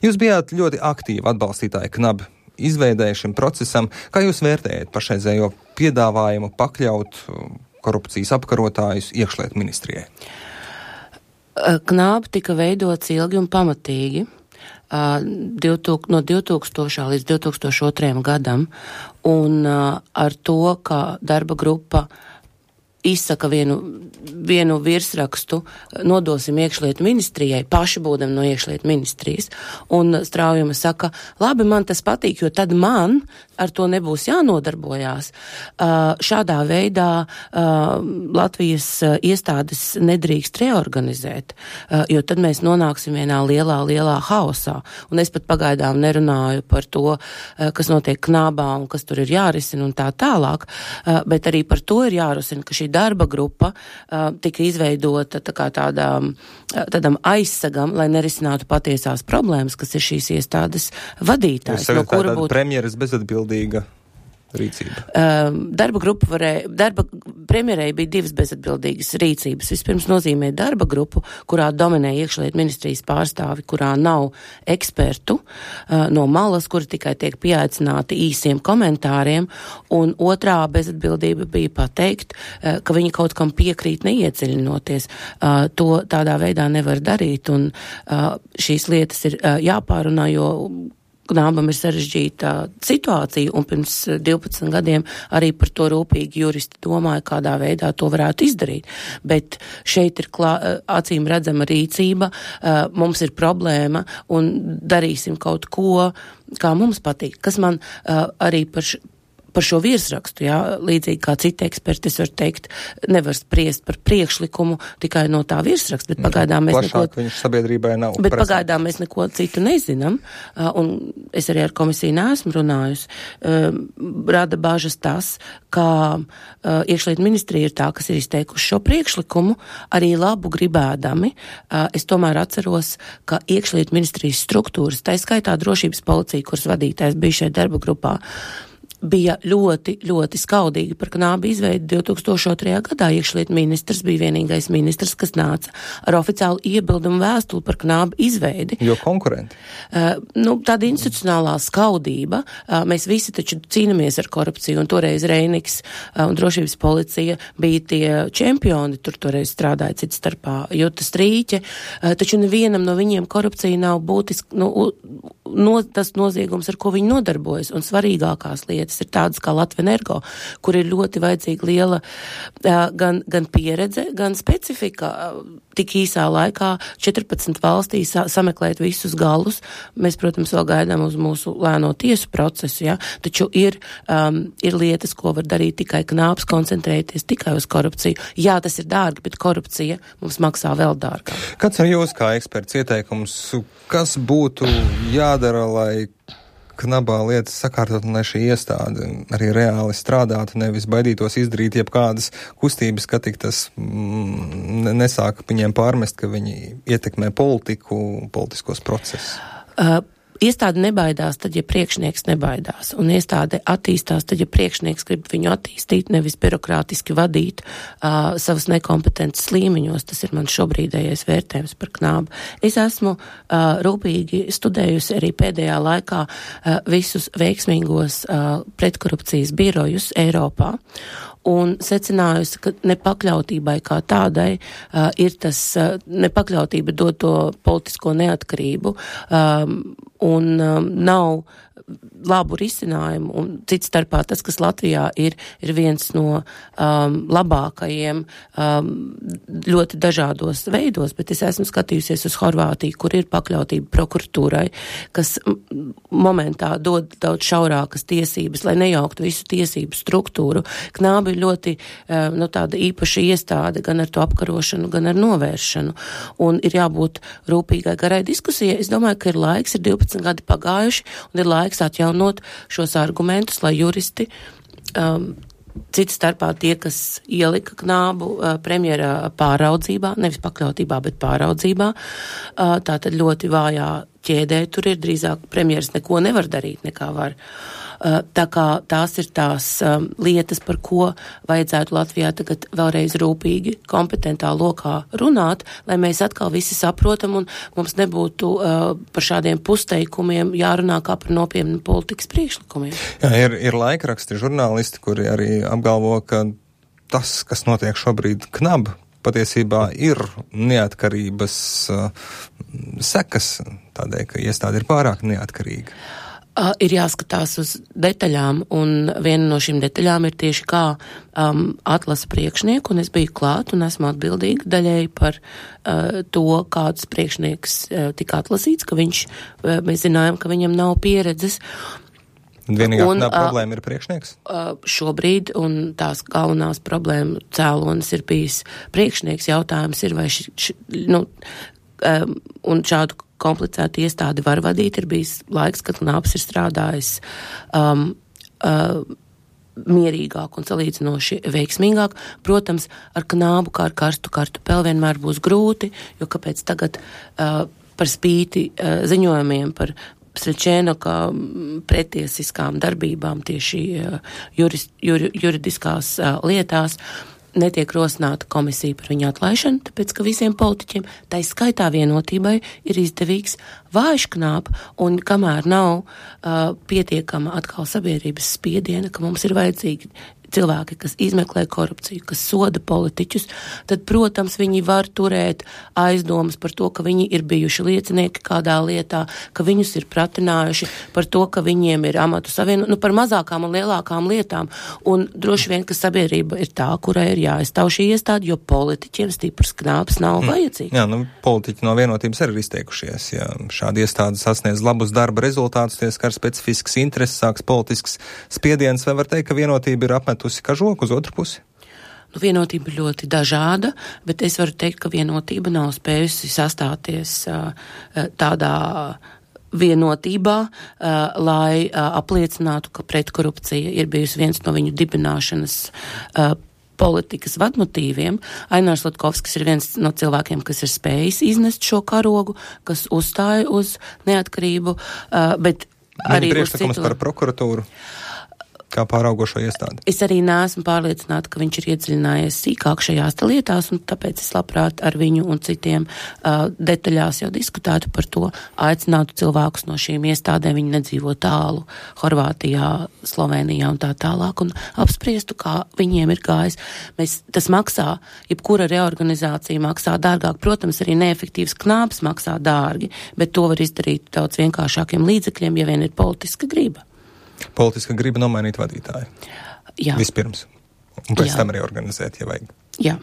Jūs bijāt ļoti aktīvi atbalstītāji KNAB izveidēja šim procesam. Kā jūs vērtējat pašreizējo piedāvājumu pakļaut korupcijas apkarotājus iekšlietu ministrijai? KNAB tika veidots ilgi un pamatīgi. No 2000. līdz 2002. gadam, un ar to, ka darba grupa izsaka vienu virsrakstu, nodosim iekšlietu ministrijai, paši būdam no iekšlietu ministrijas, un Straujuma saka, labi, man tas patīk, jo tad man ar to nebūs jānodarbojās. Šādā veidā Latvijas iestādes nedrīkst reorganizēt, jo tad mēs nonāksim vienā lielā haosā. Un es pat pagaidām nerunāju par to, kas notiek KNABā un kas tur ir jārisina un tā tālāk, bet arī par to ir jārusina, ka šī darba grupa tika izveidota tādam aizsagam, lai nerisinātu patiesās problēmas, kas ir šīs iestādes vadītājs. Jūs no kura būtu premjeras bezatbildīga rīcība? Premjerei bija divas bezatbildīgas rīcības. Vispirms nozīmē darba grupu, kurā dominē iekšlietu ministrijas pārstāvi, kurā nav ekspertu no malas, kuri tikai tiek pieaicināti īsiem komentāriem, un otrā bezatbildība bija pateikt, ka viņi kaut kam piekrīt neiedziļinoties. To tādā veidā nevar darīt, un šīs lietas ir jāpārunā, jo KNABam ir sarežģīta situācija, un pirms 12 gadiem arī par to rūpīgi juristi domāja, kādā veidā to varētu izdarīt. Bet šeit ir acīm redzama rīcība, mums ir problēma, un darīsim kaut ko, kā mums patīk. Kas man arī par šo virsrakstu, jā, līdzīgi kā citi eksperti, es varu teikt, nevar spriest par priekšlikumu tikai no tā virsraksta, bet pagaidām mēs neko citu nezinām, un es arī ar komisiju neesmu runājusi. Rada bažas tas, ka iekšlietu ministrija ir tā, kas ir izteikuši šo priekšlikumu, arī labu gribēdami. Es tomēr atceros, ka iekšlietu ministrijas struktūras, tā skaitā drošības policija, kuras vadītājs bija šeit darba grupā, bija ļoti, ļoti skaudīgi par KNAB izveidi 2002. gadā. Iekšlietu ministrs bija vienīgais ministrs, kas nāca ar oficiālu iebildumu vēstuli par KNAB izveidi. Jo konkurenti? Tāda institucionālā skaudība. Mēs visi taču cīnamies ar korupciju, un toreiz Reiniks un drošības policija bija tie čempioni, tur toreiz strādāja cits starpā Juta Strīķe, taču nevienam no viņiem korupcija nav būtiski, tas noziegums, ar ko viņi nodarbojas, un svarīgākās lietas ir tādas kā Latvenergo, kur ir ļoti vajadzīga liela gan pieredze, gan specifika. Tik īsā laikā 14 valstīs sameklēt visus galus. Mēs, protams, vēl gaidām uz mūsu lēno tiesu procesu, ja? Taču ir lietas, ko var darīt tikai KNABs, koncentrēties tikai uz korupciju. Jā, tas ir dārgi, bet korupcija mums maksā vēl dārgāk. Kāds ir jūs kā eksperts ieteikums, kas būtu jādara, lai KNABā lietas sakārtot, un lai šī iestāde arī reāli strādātu, nevis baidītos izdarīt jebkādas kustības, ka tik tas nesāk viņiem pārmest, ka viņi ietekmē politiskos procesus? Iestāde nebaidās, tad, ja priekšnieks nebaidās, un iestāde attīstās, tad, ja priekšnieks grib viņu attīstīt, nevis birokrātiski vadīt savas nekompetences līmeņos. Tas ir mans šobrīdējais vērtējums par KNAB. Es esmu rūpīgi studējusi arī pēdējā laikā visus veiksmīgos pretkorupcijas birojus Eiropā, un secinājusi, ka nepakļautībai kā tādai ir tas, nepakļautība dod to politisko neatkarību, un nav labu risinājumu, un cits starpā tas, kas Latvijā ir viens no labākajiem ļoti dažādos veidos, bet es esmu skatījusies uz Horvātiju, kur ir pakļautība prokuratūrai, kas momentā dod daudz šaurākas tiesības, lai nejauktu visu tiesību struktūru. KNAB ir ļoti tāda īpaša iestāde gan ar to apkarošanu, gan ar novēršanu, un ir jābūt rūpīgai garai diskusijai. Es domāju, ka ir laiks, ir 12 gadi pagājuši, un ir laiks atjaunot šos argumentus, lai juristi, cits starpā tie, kas ielika KNABu premjera pāraudzībā, nevis pakļautībā, bet pāraudzībā, tātad ļoti vājā ķēdē tur ir drīzāk premjeras neko nevar darīt, nekā var. Tā kā tās ir tās lietas, par ko vajadzētu Latvijā tagad vēlreiz rūpīgi kompetentā lokā runāt, lai mēs atkal visi saprotam un mums nebūtu par šādiem pusteikumiem jārunā kā par nopietnu politikas priekšlikumiem. Jā, ir laikraksti, žurnālisti, kuri arī apgalvo, ka tas, kas notiek šobrīd KNAB, patiesībā ir neatkarības sekas, tādēļ, ka iestāde ir pārāk neatkarīga. Ir jāskatās uz detaļām, un viena no šīm detaļām ir tieši kā atlasa priekšnieku, un es biju klāt un esmu atbildīga daļēji par to, kāds priekšnieks tika atlasīts, ka mēs zinājām, ka viņam nav pieredzes. Vienīgā problēma ir priekšnieks? Šobrīd, un tās galvenās problēma cēlonis ir bijis priekšnieks. Jautājums ir, vai un šādu komplicētu iestādi var vadīt, ir bijis laiks, kad KNABs ir strādājis mierīgāk un salīdzinoši veiksmīgāk. Protams, ar KNABu kā ar karstu kartupeli vienmēr būs grūti, jo kāpēc tagad par spīti ziņojumiem par Srečēnoka pretiesiskām darbībām tieši juridiskās lietās netiek rosināta komisija par viņu atlaišanu, tāpēc, ka visiem politiķiem, tai skaitā Vienotībai, ir izdevīgs vājš KNAB, un kamēr nav pietiekama atkal sabiedrības spiediena, ka mums ir vajadzīgi cilvēki, kas izmeklē korupciju, kas soda politiķus, tad, protams, viņi var turēt aizdomas par to, ka viņi ir bijuši liecinieki kādā lietā, ka viņus ir pratinājuši par to, ka viņiem ir amatu savienu, par mazākām un lielākām lietām. Un droši vien, ka sabiedrība ir tā, kurai ir jāaizstāv šī iestāde, jo politiķiem stiprs KNABs nav vajadzīgs. Jā, politiķi no Vienotības arī ir izteikušies. Ja šādi iestāde sasniedz labus darba rezultātus, tie skar specifisks intereses, sāks politisks spiediens, vai var teikt, ka Vienotība ir apmetusi kažoku uz otru pusi? Vienotība ir ļoti dažāda, bet es varu teikt, ka Vienotība nav spējusi sastāties tādā vienotībā, lai apliecinātu, ka pretkorupcija ir bijusi viens no viņu dibināšanas politikas vadmotīviem. Ainārs Latkovskis ir viens no cilvēkiem, kas ir spējis iznest šo karogu, kas uzstāja uz neatkarību, bet arī uz priekšlikums par prokuratūru kā pāraugošo iestādi. Es arī neesmu pārliecināta, ka viņš ir iedziļinājies sīkāk šajās lietās, un tāpēc es labprāt ar viņu un citiem detaļās jau diskutētu par to, aicinātu cilvēkus no šīm iestādēm, viņi nedzīvo tālu Horvātijā, Slovenijā un tā tālāk, un apspriestu, kā viņiem ir gājis. Tas maksā, jebkura reorganizācija maksā dārgāk, protams, arī neefektīvs KNABs maksā dārgi, bet to var izdarīt daudz vienkāršākiem līdzekļiem, ja vien ir politiska griba. Politiska griba nomainīt vadītāju. Jā. Vispirms. Un pēc tam arī organizēt, ja vajag. Jā.